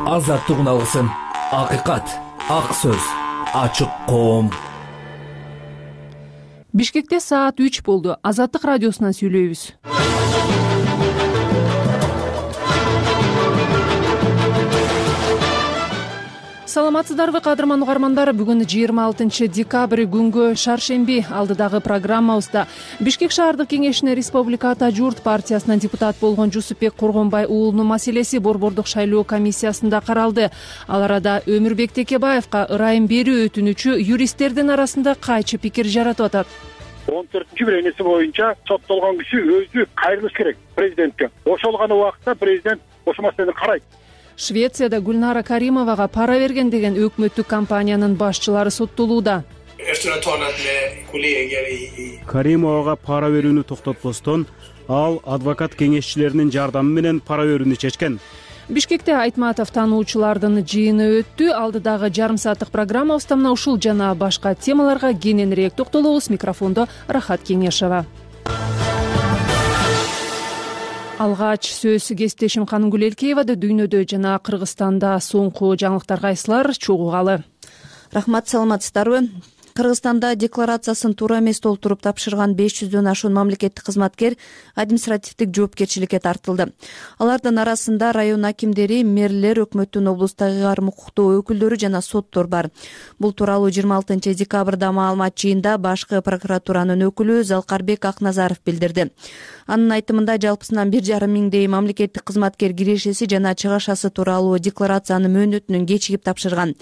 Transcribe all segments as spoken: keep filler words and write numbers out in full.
азаттык алгысың, акыйкат, ак сөз, ачык коом. Бишкекте саат үч болду. Азаттык радиосунан сүйлөйбүз. Саламатсыздарбы кадырман угармандар, бүгүн жыйырма алтынчы декабрь күнгө шаршемби. Алдыдагы программабызда Бишкек шаардык кеңешине Республика Ата журт партиясынан депутат болгон Жусупбек Коргонбай уулунун маселеси борбордук шайлоо комиссиясында каралды. Ал арада Өмүрбек Текебаевка ырайым берүү өтүнүчү юристтердин арасында кайчы пикир жаратып атат. он төртүнчү беренеси боюнча соттолгон киши өзү кайрылыш керек президентке. Ошол гана убакытта президент ошол маселени карайт. Швецияда Гүлнара Каримовага пара берген деген өкмөттүк компаниянын башчылары соттолууда. Каримовага пара берүүнү токтотпостон, ал адвокат кеңешчилеринин жардамы менен пара берүүнү чечкен. Бишкекте Айтматов таануучулардын жыйыны өттү. Алдыдагы жарым сааттык программабызда мына ушул жана башка темаларга кененирээк токтолобуз. Микрофондо Рахат Кеңешова. Алгач сөз кесиптешим Канымгүл Элкеевада. Дүйнөдө жана Кыргызстанда соңку жаңылыктар кайсылар? Чогуугалы. Рахмат, саламатсыздарбы? Кыргызстанда декларациясын туура эмес толтуруп тапшырган беш жүздөн ашуун мамлекеттик кызматкер административдик жоопкерчиликке тартылды. Алардын арасында район акимдери, мэрлер, өкмөттүн облустагы ыйгарым укуктуу өкүлдөрү жана соттор бар. Бул тууралуу жыйырма алтынчы декабрда маалымат жыйында башкы прокуратуранын өкүлү Залкарбек Акназаров билдирди. Анын айтымында жалпысынан бир жарым миңдей мамлекеттик кызматкер кирешеси жана чыгашасы тууралуу декларациянын мөөнөтүнөн кечигип тапшырган.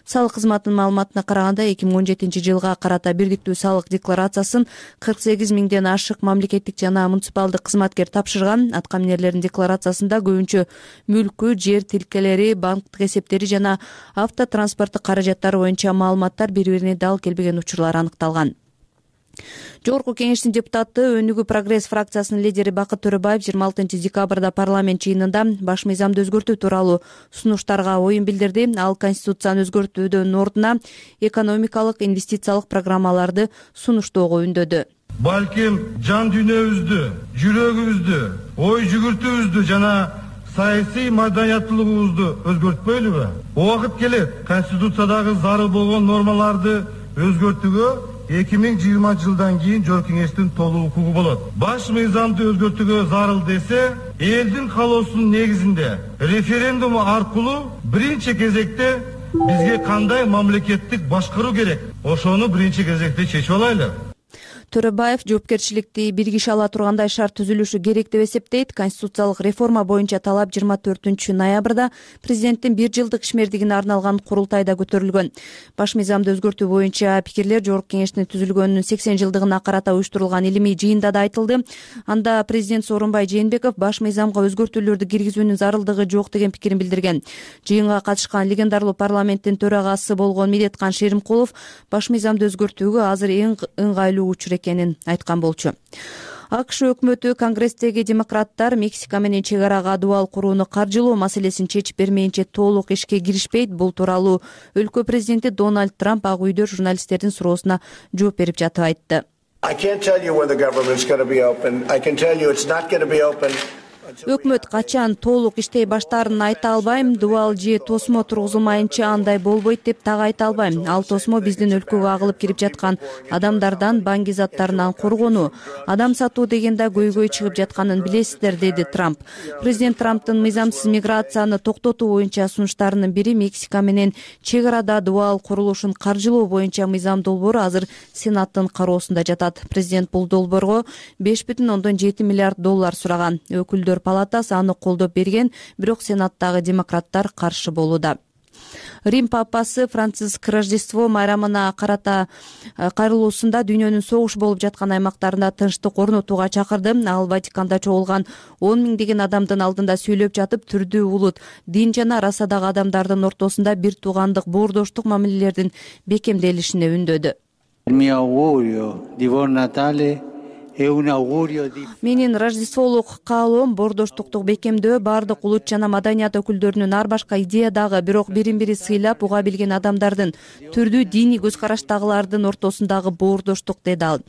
Салык кызматынын маалыматына караганда эки миң он жетинчи жылга карата бирдиктүү салык декларациясын кырк сегиз миңден ашык мамлекеттик жана муниципалдык кызматкер тапшырган. Аткаминерлердин декларациясында көбүнчө мүлкү, жер тилкелери, банктык эсептери жана автотранспорттук каражаттары боюнча маалыматтар бири-бирине дал келбеген учурлар аныкталган. Жогорку кеңештин депутаты, Өнүгүү прогресс фракциясынын лидери Бакыт Төрөбаев жыйырма алтынчы декабрда парламент жыйынында баш мыйзамды өзгөртүү тууралуу сунуштарга оюн билдирди. Ал конституцияны өзгөртүүдөн ордуна экономикалык, инвестициялык программаларды сунуштоого үндөдү. Балким жан дүйнөбүздү, жүрөгүбүздү, ой жүгүртүүбүздү жана саясий маданияттуулугубузду өзгөртпөйлүбү? Убакыт келет конституциядагы зарыл болгон нормаларды өзгөртүүгө эки миң жыйырма жылдан кийин жогорку кеңештин толук укугу болот. Баш мыйзамды өзгөртүүгө зарыл десе, элдин каалоосунун негизинде референдум аркылуу биринчи кезекте бизге кандай мамлекеттик башкаруу керек? Ошону биринчи кезекте чечип алайлы. Төрөбаев жоопкерчиликти бир киши ала тургандай шарт түзүлүшү керек деп эсептейт. Конституциялык реформа боюнча талап жыйырма төртүнчү ноябрда президенттин бир жылдык ишмердигине арналган курултайда көтөрүлгөн. Баш мыйзамды өзгөртүү боюнча пикирлер жогорку кеңештин түзүлгөнүнүн сексен жылдыгына карата уюштурулган илимий жыйында да айтылды. Анда президент Сооронбай Жээнбеков баш мыйзамга өзгөртүүлөрдү киргизүүнүн зарылдыгы жок деген пикирин билдирген. Жыйынга катышкан легендарлуу парламенттин төрагасы болгон Медеткан Шеримкулов баш мыйзамды өзгөртүүгө азыр эң ыңгайлуу учур экенин айткан болчу. АКШ өкмөтү Конгресстеги демократтар Мексика менен чек арага дубал курууну каржылоо маселесин чечип бермейинче толук ишке киришпейт. Бул тууралуу өлкө президенти Дональд Трамп Ак үйдө журналисттердин суроосуна жооп берип жатып айтты. Өкмөт качан толук иштей баштаарын айта албайм, дубал же тосмо тургузулмайынча андай болбойт деп так айта албайм. Ал тосмо биздин өлкөгө агылып кирип жаткан адамдардан, банки заттарынан коргонуу. Адам сатуу деген да көйгөй чыгып жатканын билесиздер, деди Трамп. Президент Трамптын мыйзамсыз миграцияны токтотуу боюнча сунуштарынын бири Мексика менен чек арада дубал курулушун каржылоо боюнча мыйзам долбоору азыр Сенаттын кароосунда жатат. Президент бул долбоорго беш бүтүн ондон жети миллиард доллар сураган. Өкүлдөр палатасы аны колдоп берген, бирок Сенаттагы демократтар каршы болууда. Рим папасы Франциск Рождество майрамына карата кайрылуусунда дүйнөнүн согуш болуп жаткан аймактарында тынчтык орнотууга чакырды. Ал Ватиканда чогулган он миңдеген адамдын алдында сүйлөп жатып, түрдүү улут, дин жана расадагы адамдардын ортосунда бир туугандык, боордоштук мамилелердин бекемделишине үндөдү. Менин Рождестволук каалоом боордоштукту бекемдөө баардык улут жана маданият өкүлдөрүнүн ар башка идеядагы, бирок бирин бири сыйлап уга билген адамдардын, түрдүү диний көз караштагылардын ортосундагы боордоштук, деди ал.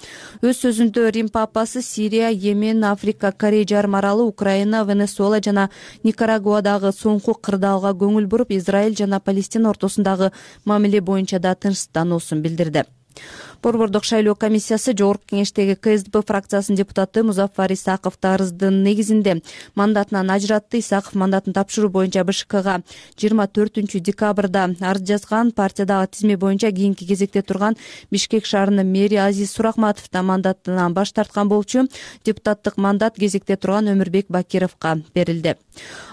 Өз сөзүндө Рим папасы Сирия, Йемен, Африка, Корей жарым аралы, Украина, Венесуэла жана Никарагуадагы соңку кырдаалга көңүл буруп, Израиль жана Палестина ортосундагы мамиле боюнча да тынчсыздануусун билдирди. Борбордук шайлоо комиссиясы Жогорку кеңештеги Ка Эс Д П фракциясынын депутаты Музаффар Исаковду арыздын негизинде мандатынан ажыратты. Исаков мандатын тапшыруу боюнча Б Ш Кга жыйырма төртүнчү декабрда арыз жазган. Партиядагы тизме боюнча кийинки кезекте турган Бишкек шаарынын мэри Азиз Суракматов да мандатынан баш тарткан болчу. Депутаттык мандат кезекте турган Өмүрбек Бакировго берилди.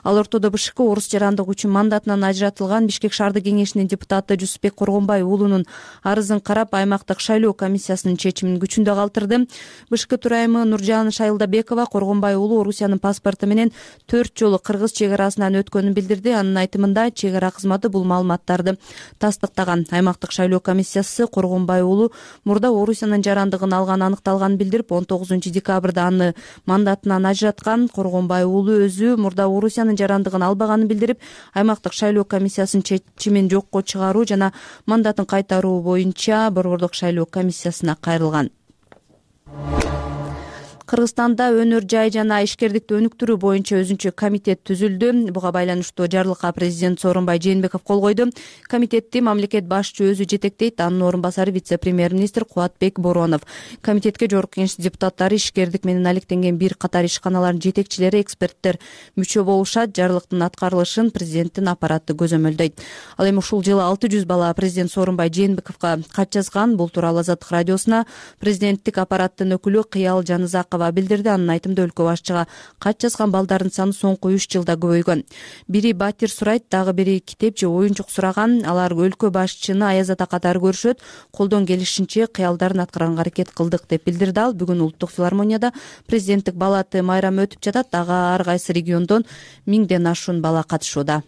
Ал ортодо Б Ш К орус жарандыгы үчүн мандатынан ажыратылган Бишкек шаардык кеңешинин депутаты Жусупбек Коргонбай уулунун арызын карап, аймактык шайлоо комиссиясынын чечимин күчүндө калтырды. Б Ш К төрайымы Нуржан Шайылдабекова Коргонбай уулу Орусиянын паспорту менен төрт жолу Кыргыз чек арасынан өткөнүн билдирди. Анын айтымында чек ара кызматы бул маалыматтарды тастыктаган. Аймактык шайлоо комиссиясы Коргонбай уулу мурда Орусиянын жарандыгын алганы аныкталганын билдирип, он тогузунчу декабрда аны мандатынан ажыраткан. Коргонбай уулу өзү мурда Орусиянын жарандыгын албаганын билдирип, аймактык шайлоо комиссиясынын чечимин жокко чыгаруу жана мандатын кайтаруу боюнча борбордук шайлоо комиссиясына кайрылган. Кыргызстанда өнөр жай жана ишкердикти өнүктүрүү боюнча өзүнчө комитет түзүлдү. Буга байланыштуу жарлыкка президент Сооронбай Жээнбеков кол койду. Комитетти мамлекет башчы өзү жетектейт. Анын орун басары вице-премьер-министр Кубатбек Боронов. Комитетке Жогорку Кеңеш депутаттары, ишкердик менен алектенген бир катар ишканалардын жетекчилери, эксперттер мүчө болушат. Жарлыктын аткарылышын президенттин аппараты көзөмөлдөйт. Ал эми ушул жылы алты жүз бала президент Сооронбай Жээнбековго кат жазган. Бул тууралуу Азаттык радиосуна президенттик аппараттын өкүлү Кыял Жанызакова билдирди. Анын айтымында өлкө башчыга кат жазган балдардын саны соңку үч жылда көбөйгөн. Бири батир сурайт, дагы бири китеп же оюнчук сураган. Алар өлкө башчыны аяз ата катары көрүшөт. Колдон келишинче кыялдарын аткарганга аракет кылдык деп билдирди ал. Бүгүн Улуттук филармонияда президенттик балаты майрамы өтүп жатат. Ага ар кайсы региондон миңден ашуун бала катышууда.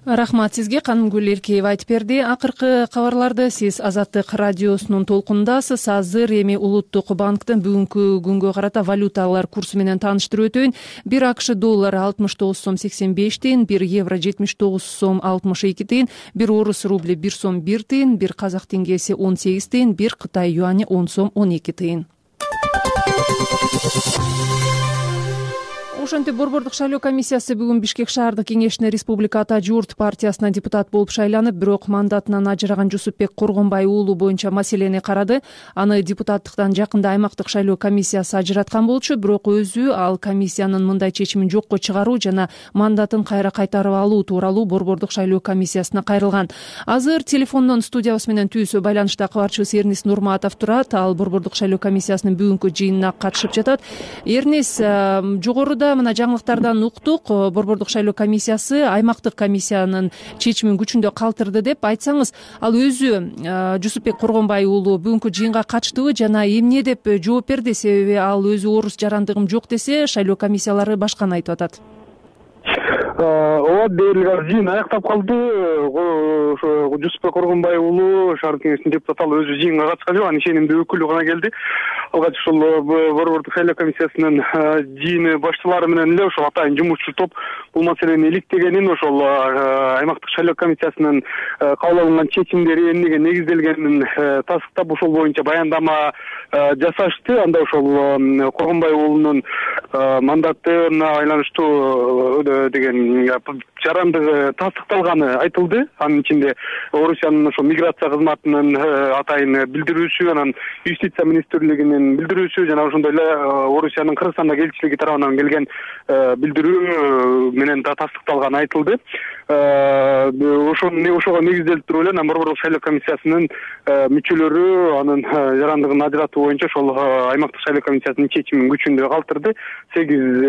Рахмат сизге, Канымгүл Эркеева айтып берди. Акыркы кабарларды сиз Азаттык радиосунун толкундасыз. Азыр эми Улуттук банктын бүгүнкү күнгө карата валюталар курсу менен тааныштырып өтөйүн. Бир АКШ доллары алтымыш тогуз сом сексен беш тыйын, бир евро жетимиш тогуз сом алтымыш эки тыйын, бир орус рубли бир сом бир тыйын, бир казак теңгеси он сегиз тыйын, бир Кытай юани он сом он эки тыйын. Ошентип борбордук шайлоо комиссиясы бүгүн Бишкек шаардык кеңешине Республика Ата журт партиясынан депутат болуп шайланып, бирок мандатынан ажыраган Жусупбек Коргонбай уулу боюнча маселени карады. Аны депутаттыктан жакында аймактык шайлоо комиссиясы ажыраткан болчу, бирок өзү ал комиссиянын мындай чечимин жокко чыгаруу жана мандатын кайра кайтарып алуу тууралуу борбордук шайлоо комиссиясына кайрылган. Азыр телефондон студиябыз менен түз байланышта кабарчыбыз Эрнис Нурматов турат. Ал борбордук шайлоо комиссиясынын бүгүнкү жыйынына катышып жатат. Эрнис, жогоруда мына жаңылыктардан уктук. Борбордук шайлоо комиссиясы аймактык комиссиянын чечимин күчүндө калтырды деп айтсаңыз, ал өзү Жусупбек Коргонбай уулу бүгүнкү жыйынга катыштыбы жана эмне деп жооп берди? Себеби ал өзү орус жарандыгым жок десе, шайлоо комиссиялары башканы айтып атат. Ооба, дээрлик жыйын аяктап калды. Жусупбек Коргонбай уулу шаардык кеңештин депутаты, ал өзү жыйынга катышкан жок, анын ишенимдүү өкүлү гана келди. Алгач ушул борбордук шайлоо комиссиясынын жыйыны башчылары менен эле ошол атайын жумушчу топ бул маселени иликтегенин, ошол аймактык шайлоо комиссиясынын кабыл алынган чечимдери эмнеге негизделгенин тастыктап, ошол боюнча баяндама жасашты. Анда ошол Коргонбай уулунун мандатына байланыштуу деген жарандыгы тастыкталганы айтылды. Анын ичинде Орусиянын ошо миграция кызматынын атайын билдирүүсү, анан юстиция министрлигинин билдирүүсү жана ошондой эле Орусиянын Кыргызстандагы элчилиги тарабынан келген билдирүү менен да тастыкталганы айтылды. Ошону ошого негизделип туруп эле борбордук шайлоо комиссиясынын мүчөлөрү анын жарандыгын ажыратуу боюнча ошол аймактык шайлоо комиссиясынын чечимин күчүндө калтырды. сегиз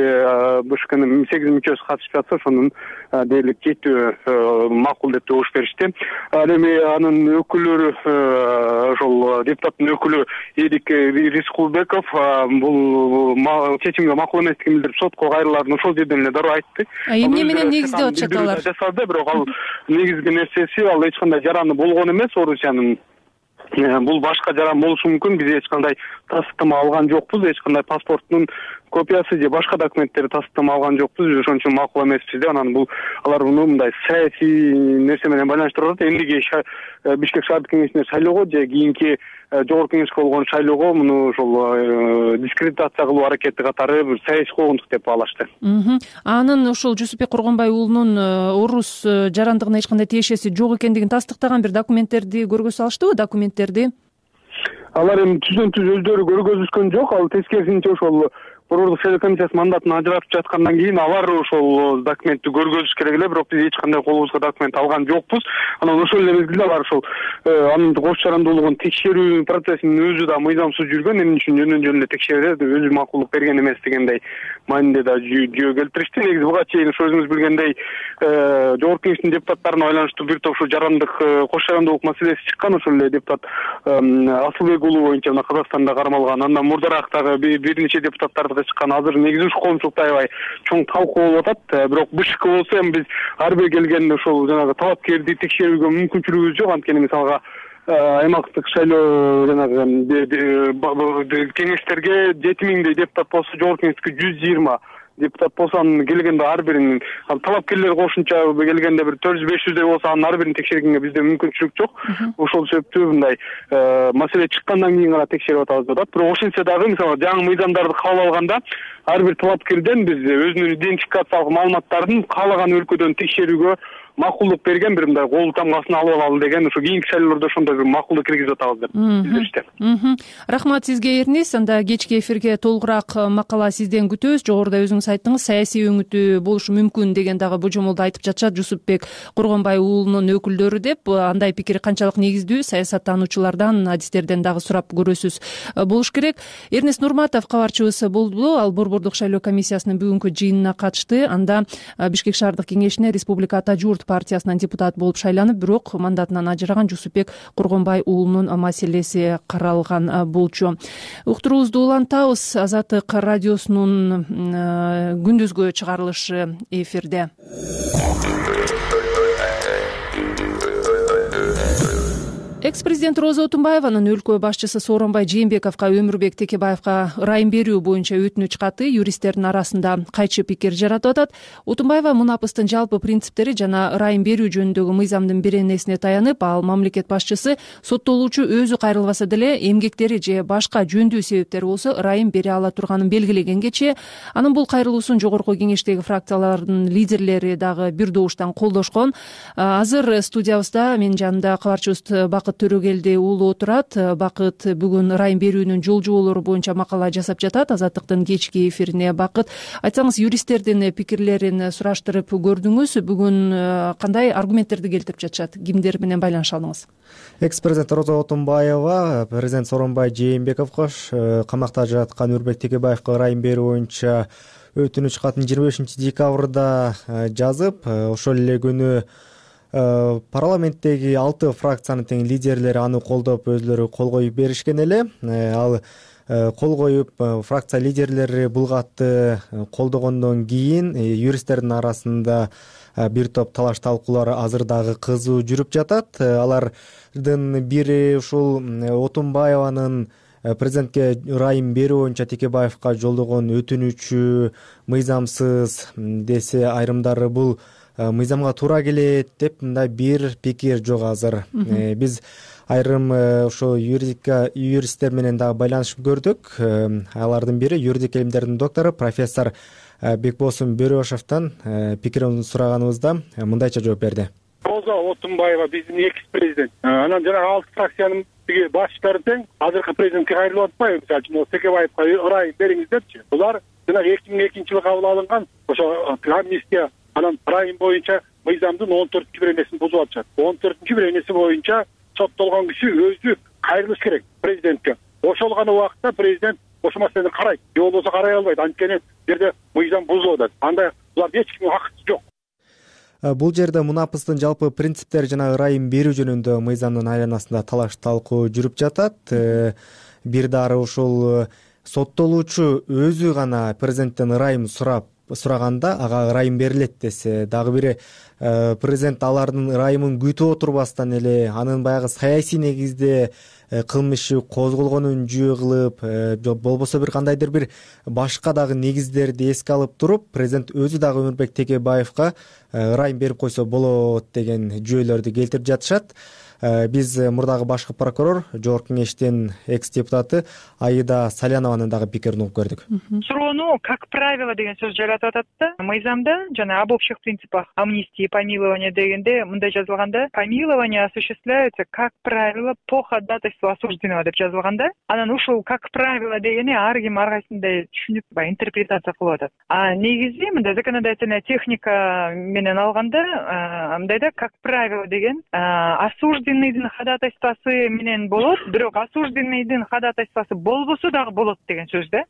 Б Ш Кнын сегиз мүчөсү катышып жатса, ошонун дээрлик жетөө макул деп добуш беришти. Ал эми анын өкүлдөрү, ошол депутаттын өкүлү Эдик Рискулбеков бул чечимге макул эместигин билдирип, сотко кайрылаарын ошол жерден эле дароо айтты. Эмне менен негиздеп атышат алар? Бирок ал негизги нерсеси, ал эч кандай жараны болгон эмес Орусиянын бул башка жаран болушу мүмкүн. Биз эч кандай тастыктама алган жокпуз, эч кандай паспорттун копиясы же башка документтери тастыктама алган жокпуз. Ошон үчүн макул эмеспиз да. Анан бул алар муну мындай саясий нерсе менен байланыштырып атат. Эмдиги Бишкек шаардык кеңешине шайлоого же кийинки жогорку кеңешке болгон шайлоого муну ошол дискредитация кылуу аракети катары бир саясий куугунтук деп баалашты. Анын ошол Жусупбек Кургонбай уулунун орус жарандыгына эч кандай тиешеси жок экендигин тастыктаган бир документтерди көргөзө салыштыбы, документтерди? Алар эми түздөн түз өздөрү көргөзүшкөн жок. Ал тескерисинче ошол борбордук шайлоо комиссиясы мандатын ажыратып жаткандан кийин алар ошол документти көргөзүш керек эле, бирок биз эч кандай колубузга документ алган жокпуз. Анан ошол эле мезгилде алар ошол анын кош жарандуулугун текшерүү процессинин өзү да мыйзамсыз жүргөн, эмне үчүн жөндөн жөн эле текшерет, өзү макулдук берген эмес дегендей маанинде да жүйө келтиришти. Негизи буга чейин ошо өзүңүз билгендей жогорку кеңештин депутаттарына байланыштуу бир топ ушу жарандык кош жарандуулук маселеси чыккан. Ошол эле депутат Асылбек уулу боюнча мына Казакстанда кармалган, андан мурдараак дагы бир нече депутаттарды чыккан. Азыр негизи ушу коомчулукта аябай чоң талкуу болуп атат. Бирок БШК болсо эми биз ар бир келген ошол жанагы талапкерди текшерүүгө мүмкүнчүлүгүбүз жок. Анткени мисалга аймактык шайлоо жанагы кеңештерге жети миңдей депутат болсо, жогорку кеңешке жүз жыйырма депутат болсо, анын келгенде ар биринин талапкерлер кошумча келгенде бир төрт жүз беш жүздөй болсо, анын ар бирин текшергенге бизде мүмкүнчүлүк жок. Ошол себептүү мындай маселе чыккандан кийин гана текшерип атабыз деп атат. Бирок ошентсе дагы мисалы жаңы мыйзамдарды кабыл алганда ар бир талапкерден биз өзүнүн идентификациялык маалыматтарын каалаган өлкөдөн текшерүүгө макулдук берген бир мындай кол тамгасына алып алалы деген, ошо кийинки шайлоолордо ошондой бир макулдук киргизип атабыз деп билдиришти. Рахмат сизге, Эрнис. Анда кечки эфирге толугураак макала сизден күтөбүз. Жогоруда өзүңүз айттыңыз, саясий өңүтү болушу мүмкүн деген дагы божомолду айтып жатышат Жусупбек Кургонбай уулунун өкүлдөрү деп. Андай пикир канчалык негиздүү, саясаттануучулардан, адистерден дагы сурап көрөсүз болуш керек. Эрнис Нурматов кабарчыбыз болду. Ал борбордук шайлоо комиссиясынын бүгүнкү жыйынына катышты. Анда Бишкек шаардык кеңешине Республика Ата журт партиясынан депутат болуп шайланып, бирок мандатынан ажыраган Жусупбек Кургонбай уулунун маселеси каралган болчу. Уктуруубузду улантабыз. Азаттык радиосунун күндүзгү чыгарылышы эфирде. Экс-президент Роза Отунбаеванын өлкө башчысы Сооронбай Жээнбековго, Өмүрбек Текебаевга ырайым берүү боюнча өтүнүч каты юристтердин арасында кайчы пикир жаратып атат. Отунбаева мунапыстын жалпы принциптери жана ырайым берүү жөнүндөгү мыйзамдын беренесине таянып, ал мамлекет башчысы соттолуучу өзү кайрылбаса деле эмгектери же башка жөндүү себептери болсо ырайым бере ала турганын белгилегенге, анын бул кайрылуусун жогорку кеңештеги фракциялардын лидерлери дагы бир добуштан колдошкон. Азыр студиябызда менин жанымда кабарчыбыз Бакыт Төрөгелди уулу отурат. Бакыт бүгүн ырайым берүүнүн жол жоболору боюнча макала жасап жатат. Азаттыктын кечки эфирине Бакыт, айтсаңыз, юристтердин пикирлерин сураштырып көрдүңүз. Бүгүн кандай аргументтерди келтирип жатышат? Кимдер менен байланыша алдыңыз? Экс-президент Роза Отунбаева президент Сооронбай Жээнбековго камакта жаткан Өмүрбек Текебаевга ырайым берүү боюнча өтүнүч катын жыйырма бешинчи декабрда жазып, ошол эле күнү парламенттеги алты фракциянын тең лидерлери аны колдоп, өзлөрү кол коюп беришкен эле. Ал кол коюп, фракция лидерлери бул катты колдогондон кийин юристтердин арасында бир топ талаш талкуулар азыр дагы кызуу жүрүп жатат. Алардын бири ушул Отунбаеванын президентке ырайым берүү боюнча Текебаевга жолдогон өтүнүчү мыйзамсыз десе, айрымдары бул мыйзамга туура келет деп мындай бир пикир жок азыр. Биз айрым ошо юридика юристтер менен дагы байланышып көрдүк. Алардын бири юридик илимдердин доктору профессор Бекбосун Бөрөшовдон пикирин сураганыбызда мындайча жооп берди. Роза Отунбаева биздин экс-президент. Анан жана алты фракциянын башчылары тең азыркы президентке кайрылып атпайбы? Мисалы үчүн Текебаевга ырайым бериңиз депчи. Булар жана эки миң экинчи жылы кабыл алынган ошо амнистия, анан ырайым боюнча мыйзамдын он төртүнчү беренесин бузуп атышат. он төртүнчү беренеси боюнча соттолгон киши өзү кайрылыш керек президентке. Ошол гана убакытта президент ошол маселени карайт. Же болбосо карай албайт. Анткени жерде мыйзам бузулуп атат. Анда булар эч кимдин акысы жок. Бул жерде мунапыстын жалпы принциптери жана ырайым берүү жөнүндө мыйзамдын айланасында талаш талкуу жүрүп жатат. Бир дары ушул соттолуучу өзү гана президенттен ырайым сурап сураганда ага ырайым берилет десе, дагы бири президент алардын ырайымын күтүп отурбастан эле анын баягы саясий негизде кылмышы козголгонун жүйө кылып, болбосо бир кандайдыр бир башка дагы негиздерди эске алып туруп, президент өзү дагы Өмүрбек Текебаевка ырайым берип койсо болот деген жүйөлөрдү келтирип жатышат. Биз мурдагы башкы прокурор, жогорку кеңештин экс депутаты Аида Салянованын дагы пикирин угуп көрдүк. Суроону как правило деген сөз жаратып атат да. Мыйзамда жана об общих принципах амнистии и помилования дегенде мындай жазылганда: помилование осуществляется как правило по ходатайству осужденного деп жазылганда, анан ушул как правило дегени ар ким ар кайсындай түшүнүп, баягы интерпретация кылып атат. А негизи мындай законодательная техника менен алганда мындай да, как правило деген осужденный осужденныйдын ходатайствосы менен болот, бирок осужденныйдын ходатайствосы болбосо дагы болот деген сөз да.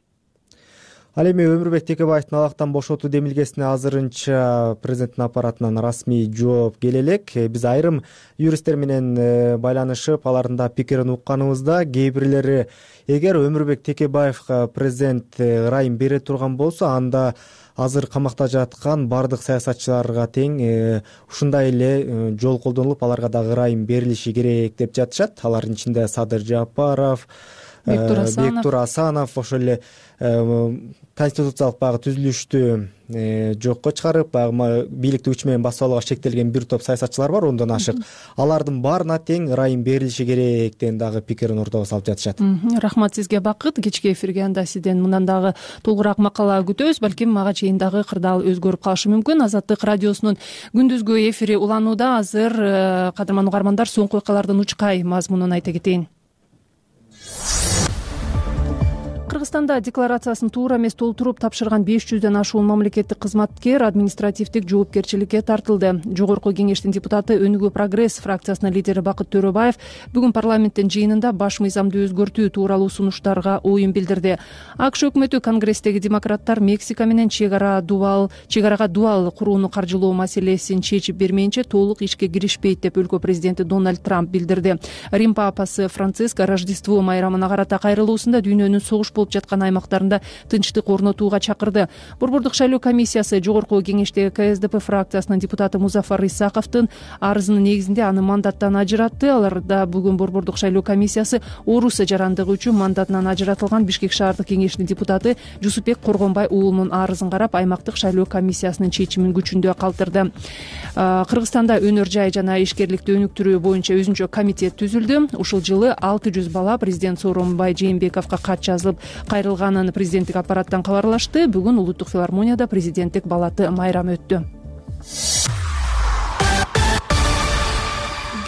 Ал эми Өмүрбек Текебаевдин алактан бошотуу демилгесине азырынча президенттин аппаратынан расмий жооп келе элек. Биз айрым юристтер менен байланышып, алардын да пикирин укканыбызда, кээ бирлери эгер Өмүрбек Текебаевга президент ырайым бере турган болсо, анда азыр камакта жаткан бардык саясатчыларга тең ушундай эле жол колдонулуп, аларга дагы ырайым берилиши керек деп жатышат. Алардын ичинде Садыр Жапаров, Бектур Асанов, ошол эле конституциялык баягы түзүлүштү жокко чыгарып, баягы бийликтик күч менен басып алууга шектелген бир топ саясатчылар бар, ондон ашык. Алардын баарына тең ырайым берилиши керек деген дагы пикирин ортого салып жатышат. Рахмат сизге, Бакыт. Кечки эфирге анда сизден мындан дагы толугураак макала күтөбүз. Балким мага чейин дагы кырдаал өзгөрүп калышы мүмкүн. Азаттык радиосунун күндүзгү эфири уланууда. Азыр кадырман угармандар, соңку окуялардын учкай мазмунун айта кетейин. Кыргызстанда декларациясын туура эмес толтуруп тапшырган беш жүздөн ашуун мамлекеттик кызматкер административдик жоопкерчиликке тартылды. Жогорку кеңештин депутаты Өнүгүү Прогресс фракциясынын лидери Бакыт Төрөбаев бүгүн парламенттин жыйынында баш мыйзамды өзгөртүү тууралуу сунуштарга оюн билдирди. АКШ өкмөтү Конгресстеги демократтар Мексика менен чек ара дубал чек-арага дубал курууну каржылоо маселесин чечип бермейинче толук ишке киришпейт деп өлкө президенти Дональд Трамп билдирди. Рим папасы Франциск Рождество майрамына карата кайрылуусунда дүйнөнүн согуш болуп жаткан аймактарында тынчтык орнотууга чакырды. Борбордук шайлоо комиссиясы жогорку кеңештеги КСДП фракциясынын депутаты Музафар Исаковдун арызынын негизинде аны мандаттан ажыратты. Аларда бүгүн борбордук шайлоо комиссиясы орус жарандыгы үчүн мандатынан ажыратылган Бишкек шаардык кеңешинин депутаты Жусупбек Коргонбай уулунун арызын карап, аймактык шайлоо комиссиясынын чечимин күчүндө калтырды. Кыргызстанда өнөр жай жана ишкерликти өнүктүрүү боюнча өзүнчө комитет түзүлдү. Ушул жылы алты жүз бала президент Сооронбай Жээнбековго кат жазылып кайрылганын президенттик аппараттан кабарлашты. Бүгүн улуттук филармонияда президенттик балаты майрамы өттү.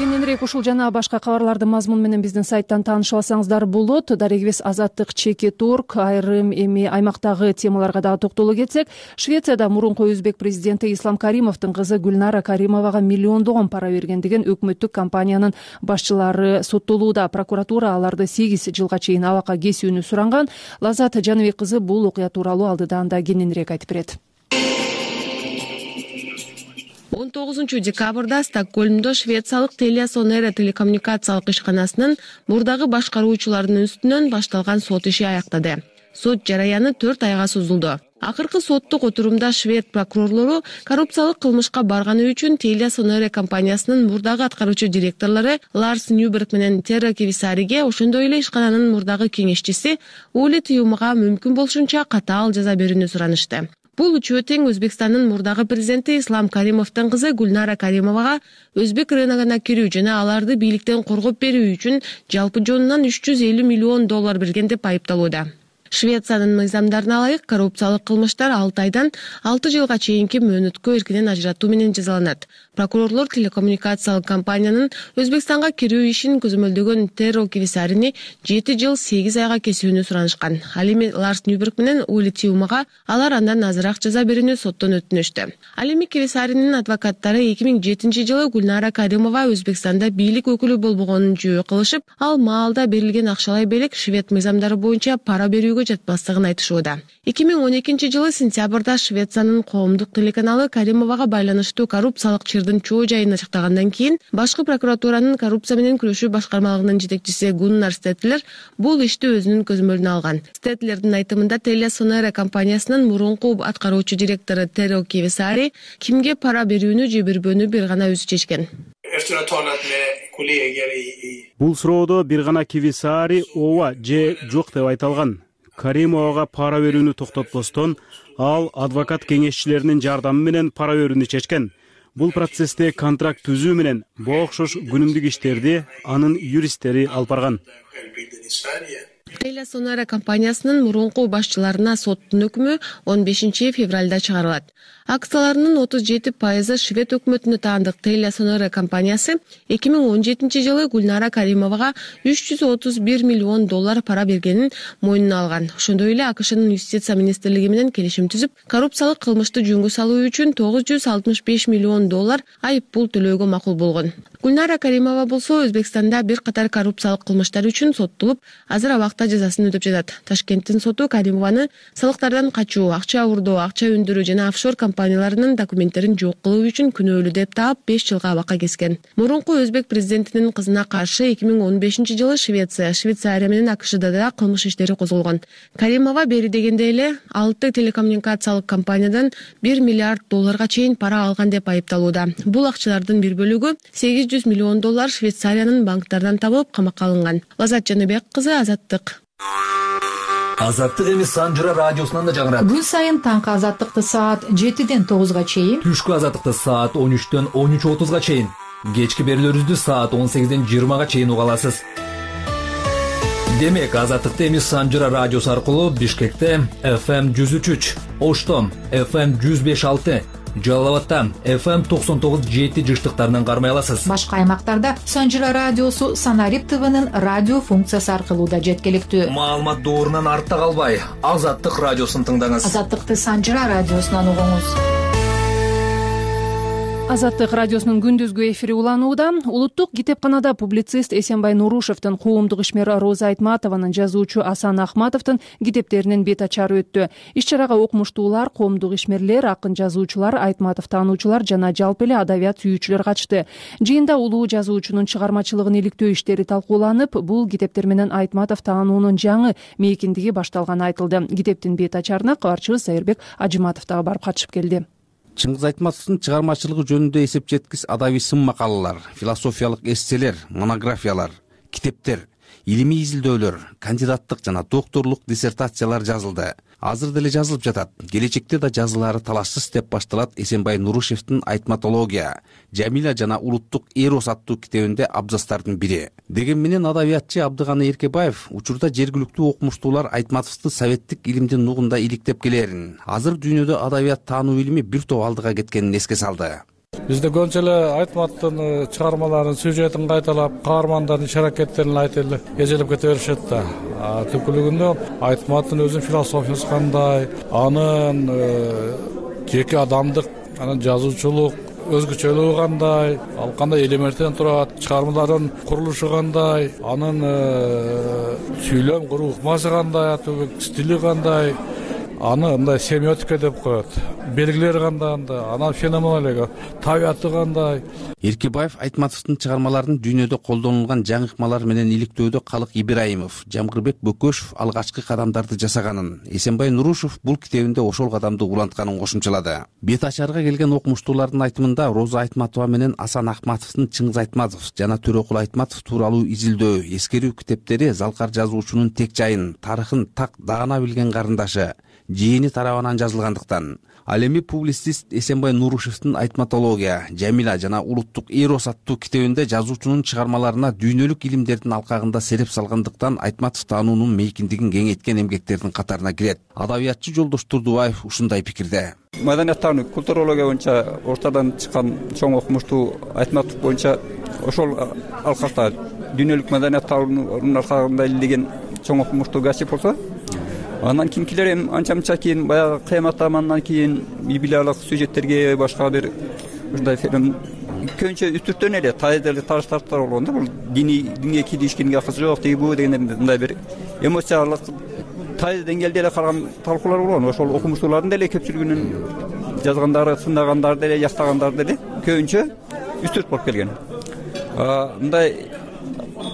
Кененирээк ушул жана башка кабарлардын мазмуну менен биздин сайттан тааныша алсаңыздар болот. Дарегибиз Азаттык чекит орг. Айрым эми аймактагы темаларга дагы токтоло кетсек, Швецияда мурунку өзбек президенти Ислам Каримовдун кызы Гүлнара Каримовага миллиондогон пара бергендигин өкмөттүк компаниянын башчылары соттолууда. Прокуратура аларды сегиз жылга чейин абакка кесүүнү суранган. Лазат Жаныбек кызы бул окуя тууралуу алдыдан да кененирээк айтып берет. он тогузунчу декабрда Стокгольмдо швециялык Telia Sonera телекоммуникациялык ишканасынын мурдагы башкаруучуларынын үстүнөн башталган сот иши аяктады. Сот жараяны төрт айга созулду. Акыркы соттук отурумда швед прокурорлору коррупциялык кылмышка барганы үчүн Telia Sonera компаниясынын мурдагы аткаруучу директорлору Ларс Ньюберг менен Терра Кевисариге, ошондой эле ишкананын мурдагы кеңешчиси Ули Тюмага мүмкүн болушунча катаал жаза берүүнү суранышты. Бул үчөө тең Өзбекстандын мурдагы президенти Ислам Каримовдун кызы Гүлнара Каримовага өзбек рыногуна кирүү жана аларды бийликтен коргоп берүү үчүн жалпы жонунан үч жүз элүү миллион доллар берген деп айыпталууда. Швециянын мыйзамдарына ылайык коррупциялык кылмыштар алты айдан алты жылга чейинки мөөнөткө эркинен ажыратуу менен жазаланат. Прокурорлор телекоммуникациялык компаниянын Өзбекстанга кирүү ишин көзөмөлдөгөн Терро Кевисарини жети жыл сегиз айга кесүүнү суранышкан. Ал эми Ларс Ньюберг менен Ули Тюмага алар андан азыраак жаза берүүнү соттон өтүнүштү. Ал эми Кевисаринин адвокаттары эки миң жетинчи жылы Гүлнара Каримова Өзбекстанда бийлик өкүлү болбогонун жөө кылышып, ал маалда берилген акчалай белек швед мыйзамдары боюнча пара берүүгө көзөмөлгө жатпастыгын айтышууда. эки миң он экинчи жылы сентябрда Швециянын коомдук телеканалы Каримовага байланыштуу коррупциялык чырдын чоо жайын ачыктагандан кийин башкы прокуратуранын коррупция менен күрөшүү башкармалыгынын жетекчиси Гуннар Стетлер бул ишти өзүнүн көзөмөлүнө алган. Стетлердин айтымында TeliaSonera компаниясынын мурунку аткаруучу директору Теро Кивисари кимге пара берүүнү же бербөөнү бир гана өзү чечкен. Бул суроодо бир гана Кивисари ооба же жок деп айта алган. Каримовага пара берүүнү токтотпостон ал адвокат кеңешчилеринин жардамы менен пара берүүнү чечкен. Бул процессте контракт түзүү менен буга окшош күнүмдүк иштерди анын юристтери алып барган. TeliaSonera компаниясынын мурунку башчыларына соттун өкүмү он бешинчи февралда чыгарылат. Акцияларынын отуз жети пайызы швед өкмөтүнө таандык TeliaSonera компаниясы эки миң он жетинчи жылы Гүлнара Каримовага үч жүз отуз бир миллион доллар пара бергенин мойнуна алган. Ошондой эле АКШнын юстиция министрлиги менен келишим түзүп, коррупциялык кылмышты жөнгө салуу үчүн тогуз жүз алтымыш беш миллион доллар айып пул төлөөгө макул болгон. Гүлнара Каримова болсо Өзбекстанда бир катар коррупциялык кылмыштар үчүн соттолуп, азыр абакта жазасын өтөп жатат. Ташкенттин соту Каримованы салыктардан качуу, акча урдоо, акча өндүрүү жана офшор компанияларынын документтерин жок кылуу үчүн күнөөлүү деп таап беш жылга абакка кескен. Мурунку өзбек президентинин кызына каршы эки миң он бешинчи жылы Швеция, Швейцария менен АКШда да кылмыш иштери козголгон. Каримова бери дегенде эле алты телекоммуникациялык компаниядан бир миллиард долларга чейин пара алган деп айыпталууда. Бул акчалардын бир бөлүгү сегиз жүз миллион доллар Швейцариянын банктардан табылып камакка алынган. Лазат Жаныбек кызы, Азаттык. Азаттык эми Санжыра радиосунан да жаңырат. Күн сайын таңкы азаттыкты саат жетиден тогузга чейин, түшкү азаттыкты саат он үчтөн он үч отузга чейин, кечки берүүлөрүбүздү саат он сегизден жыйырмага чейин уга аласыз. Демек, азаттыкты эми Санжыра радиосу аркылуу Бишкекте эф эм жүз үч үч, Ошто эф эм жүз беш алты, Жалал Абадта эф эм токсон тогуз жети жыштыктарынан кармай аласыз. Башка аймактарда Санжыра радиосу Санарип ТВнын радио функциясы аркылуу да жеткиликтүү. Маалымат доорунан артта калбай, Азаттык радиосун тыңдаңыз. Азаттыкты Санжыра радиосунан угуңуз. Азаттык радиосунун күндүзгү эфири уланууда. Улуттук китепканада публицист Эсенбай Нурушевдин, коомдук ишмер Роза Айтматованын, жазуучу Асан Ахматовдун китептеринин бет ачары өттү. Иш-чарага окумуштуулар, коомдук ишмерлер, акын жазуучулар, Айтматов таануучулар жана жалпы эле адабият сүйүүчүлөр катышты. Жыйында улуу жазуучунун чыгармачылыгын иликтөө иштери талкууланып, бул китептер менен Айтматов таануунун жаңы мейкиндиги башталганы айтылды. Китептин бет ачарына кабарчыбыз Сайырбек Ажыматов дагы барып катышып келди. Чыңгыз Айтматовдун чыгармачылыгы жөнүндө эсеп жеткис адабий сын макалалар, философиялык эсселер, монографиялар, китептер, илимий изилдөөлөр, кандидаттык жана докторлук диссертациялар жазылды. Азыр деле жазылып жатат. Келечекте да жазылары талашсыз деп башталат Эсенбай Нурушевдин Айтматология, Жамиля жана улуттук эрос аттуу китебинде абзацтардын бири. Деген менен адабиятчы Абдыганы Эркебаев учурда жергиликтүү окумуштуулар Айтматовду советтик илимдин нугунда иликтеп келерин, азыр дүйнөдө адабият таануу илими бир топ алдыга кеткенин эске салды. Бизде көбүнчө эле Айтматтын чыгармаларын, сюжетин кайталап, каармандардын иш-аракеттерин айтып эле эжелеп кете беришет да. Түпкүлүгүндө Айтматтын өзүнүн философиясы кандай, анын жеке адамдык, анын жазуучулук өзгөчөлүгү кандай, ал кандай элементтен турат, чыгармалардын курулушу кандай, анын сүйлөм куруу ыкмасы кандай, стили кандай, аны мындай семиотика деп коет. Белгилери кандай, анан феноменология, табияты кандай. Эркебаев Айтматовдун чыгармаларын дүйнөдө колдонулган жаңы ыкмалар менен иликтөөдө Калык Ибраимов, Жамгырбек Бөкөшев алгачкы кадамдарды жасаганын, Эсенбай Нурушев бул китебинде ошол кадамды улантканын кошумчалады. Бет ачарга келген окумуштуулардын айтымында Роза Айтматова менен Асан Ахматовдун Чыңгыз Айтматов жана Төрөкул Айтматов тууралуу изилдөө, эскерүү китептери залкар жазуучунун тек жайын, тарыхын так даана билген карындашы, жээни тарабынан жазылгандыктан. Ал эми публицист Эсенбай Нурушевдин Айтматология, Жамиля жана улуттук эрос аттуу китебинде жазуучунун чыгармаларына дүйнөлүк илимдердин алкагында селеп салгандыктан Айтматов таануунун мейкиндигин кеңейткен эмгектердин катарына кирет. Адабиятчы Жолдош Турдубаев ушундай пикирде. Маданияттануу, культурология боюнча ортодон чыккан чоң окумуштуу Айтматов боюнча ошол алкакта дүйнөлүк маданият таануунун алкагында илдеген чоң окумуштуу касип болсо, андан кийинкилер эми анча-мынча кийин баягы кыямат заманынан кийин библиялык сюжеттерге башка бир ушундай фильм көбүнчө үстүртөн эле тайдылы таштартар болгон да. Бул диний динге киришкенге акысы жок, тиги бу деген мындай бир эмоциялык тайыз деңгээлде эле караган талкуулар болгон. Ошол окумуштуулардын деле көпчүлүгүнүн жазгандары, сындагандары деле, жактагандары деле көбүнчө үстүрт болуп келген. Мындай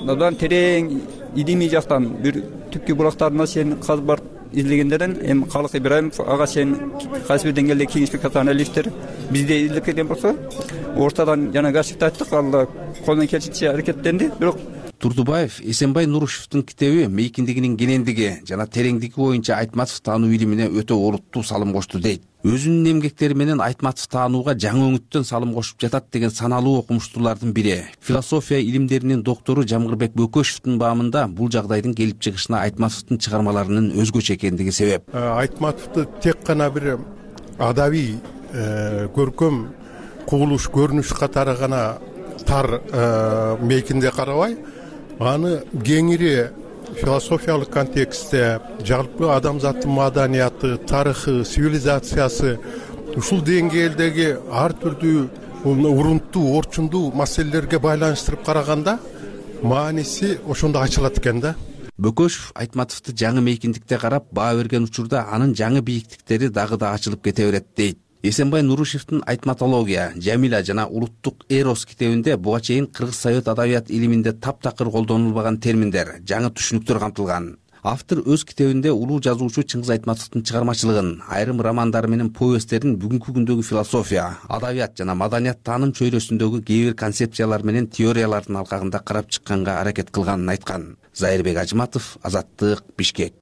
абдан терең илимий жактан бир түпкү булактарына чейин казып барып излегендерден эми Калык Ибраимов ага чейин кайсы бир деңгээлде кеңеш бекат аналисттер бизде изилеп келген болсо, ортадан жана гашикте айттык, ал колунан келишинче аракеттенди. Бирок Турдубаев Эсенбай Нурушевдин китеби мейкиндигинин кенендиги жана тереңдиги боюнча Айтматов таануу илимине өтө олуттуу салым кошту дейт. Өзүнүн эмгектери менен Айтматов таанууга жаңы өңүттөн салым кошуп жатат деген саналуу окумуштуулардын бири, философия илимдеринин доктору Жамгырбек Бөкөшевдин баамында бул жагдайдын келип чыгышына Айтматовдун чыгармаларынын өзгөчө экендиги себеп. Айтматовду тек гана бир адабий көркөм кубулуш көрүнүш катары гана тар мейкинде карабай, аны кеңири философиялык контекстте, жалпы адамзаттын маданияты, тарыхы, цивилизациясы, ушул деңгээлдеги ар түрдүү урунттуу, орчундуу маселелерге байланыштырып караганда мааниси ошондо ачылат экен да. Бөкөшев Айтматовду жаңы мейкиндикте карап баа берген учурда анын жаңы бийиктиктери дагы да ачылып кете берет дейт. Эсенбай Нурушевдин Айтматология, Жамила жана Улуттук Эрос китебинде буга чейин кыргыз совет адабият илиминде таптакыр колдонулбаган терминдер, жаңы түшүнүктөр камтылган. Автор өз китебинде улуу жазуучу Чыңгыз Айтматовдун чыгармачылыгын, айрым романдары менен повесттерин бүгүнкү күндөгү философия, адабият жана маданият тааным чөйрөсүндөгү кээ бир концепциялар менен теориялардын алкагында карап чыкканга аракет кылганын айткан. Зайырбек Ажыматов, Азаттык, Бишкек.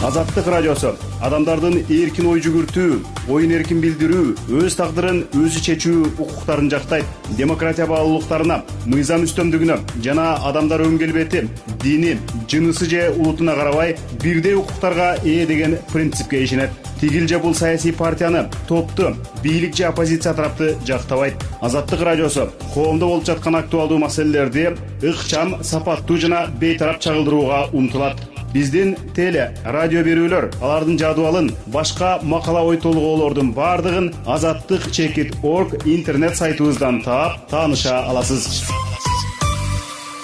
Азаттык радиосу адамдардын эркин ой жүгүртүү, оюн эркин билдирүү, өз тагдырын өзү чечүү укуктарын жактайт. Демократия баалуулуктарына, мыйзам үстөмдүгүнө жана адамдар өн келбети, дини, жынысы же улутуна карабай бирдей укуктарга ээ деген принципке ишенет. Тигил же бул саясий партияны, топту, бийлик же оппозиция тарапты жактабайт. Азаттык радиосу коомдо болуп жаткан актуалдуу маселелерди ыкчам, сапаттуу жана бейтарап чагылдырууга умтулат. Биздин теле, радио берүүлөр, алардын жадыбалын, башка макала ой толгоолордун бардыгын азаттык чекит орг интернет сайтыбыздан таап, тааныша аласыз.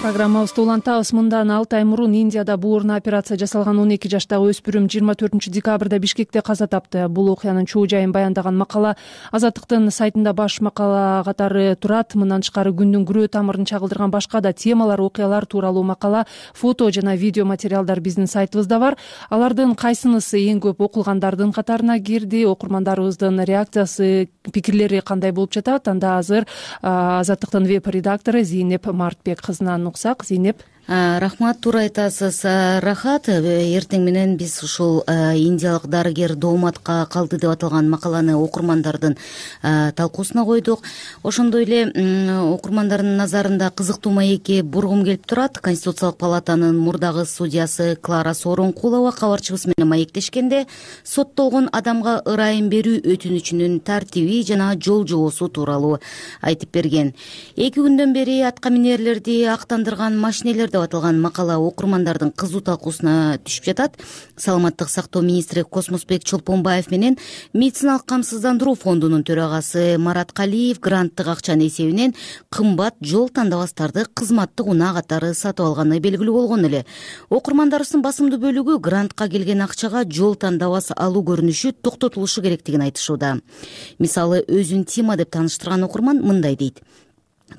Программабызды улантабыз. Мындан алты ай мурун Индияда буурна операция жасалган он эки жаштагы өспүрүм жыйырма төртүнчү декабрда Бишкекте каза тапты. Бул окуянын чоо жайын баяндаган макала Азаттыктын сайтында баш макала катары турат. Мындан тышкары күндүн күрөө тамырын чагылдырган башка да темалар, окуялар тууралуу макала, фото жана видео материалдар биздин сайтыбызда бар. Алардын кайсынысы эң көп окулгандардын катарына кирди? Окурмандарыбыздын реакциясы, пикирлери кандай болуп жатат? Анда азыр Азаттыктын веб-редактору Зейнеп Мартбек кызынан уксак. Зейнеп. Рахмат, туура айтасыз. Рахат, эртең менен биз ушул индиялык дарыгер дооматка калды деп аталган макаланы окурмандардын талкуусуна койдук. Ошондой эле окурмандардын назарында кызыктуу маекке бургум келип турат. Конституциялык палатанын мурдагы судьясы Клара Сооронкулова кабарчыбыз менен маектешкенде соттолгон адамга ырайым берүү өтүнүчүнүн тартиби жана жол жобосу тууралуу айтып берген. Эки күндөн бери атка минерлерди актандырган машинелер деп аталган макала окурмандардын кызуу талкуусуна түшүп жатат. Саламаттык сактоо министри Космосбек Чолпонбаев менен медициналык камсыздандыруу фондунун төрагасы Марат Калиев гранттык акчанын эсебинен кымбат жол тандабастарды кызматтык унаа катары сатып алганы белгилүү болгон эле. Окурмандарыбыздын басымдуу бөлүгү грантка келген акчага жол тандабас алуу көрүнүшү токтотулушу керектигин айтышууда. Мисалы, өзүн Тима деп тааныштырган окурман мындай дейт: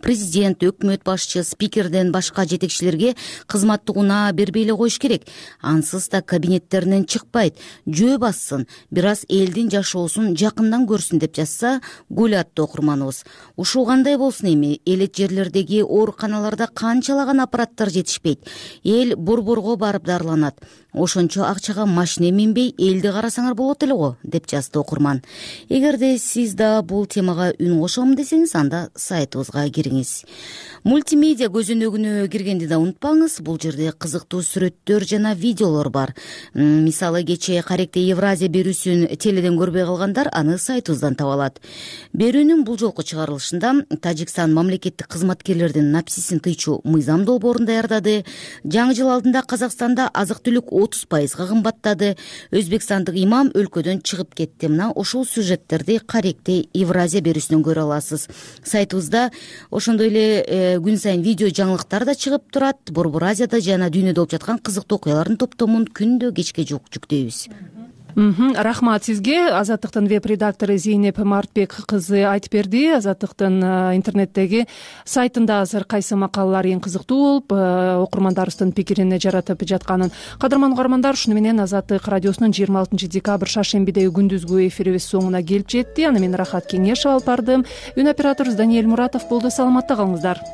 Президент, өкмөт башчы, спикерден башка жетекчилерге кызматтык унаа бербей эле коюш керек. Ансыз да кабинеттеринен чыкпайт, жөө бассын, бир аз элдин жашоосун жакындан көрсүн деп жазса, гүл аттуу окурманыбыз. Ушул кандай болсун эми? Элет жерлердеги ооруканаларда канчалаган аппараттар жетишпейт. Эл борборго барып дарыланат. Ошончо акчага машина минбей элди карасаңар болот эле го, деп жазды окурман. Эгерде сиз да бул темага үн кошом десеңиз, анда сайтыбызга кириңиз. Мультимедиа көзөнөгүнө киргенди да унутпаңыз. Бул жерде кызыктуу сүрөттөр жана видеолор бар. Мисалы, кечээ Каректе Евразия берүүсүн теледен көрбөй калгандар аны сайтыбыздан таба алат. Берүүнүн бул жолку чыгарылышында Тажикстан мамлекеттик кызматкерлердин напсисин тыйчу мыйзам долбоорун даярдады. Жаңы жыл алдында Казакстанда азык-түлүк отуз пайызга кымбаттады. Өзбекстандык имам өлкөдөн чыгып кетти. Мына ошол сюжеттерди Каректи Евразия берүүсүнөн көрө аласыз. Сайтыбызда ошондой эле күн сайын видео жаңылыктар да чыгып турат. Борбор Азияда жана дүйнөдө болуп жаткан кызыктуу окуялардын топтомун күндө кечке жүктөйбүз. Рахмат сизге. Азаттыктын веб редактору Зейнеп Мартбек кызы айтып берди. Азаттыктын интернеттеги сайтында азыр кайсы макалалар эң кызыктуу болуп окурмандарыбыздын пикирине жаратып жатканын. Кадырман угармандар, ушуну менен Азаттык радиосунун жыйырма алтынчы декабрь шаршембидеги күндүзгү эфирибиз соңуна келип жетти. Аны мен Рахат Кеңешов алып бардым. Үн операторубуз Даниэль Муратов болду. Саламатта калыңыздар.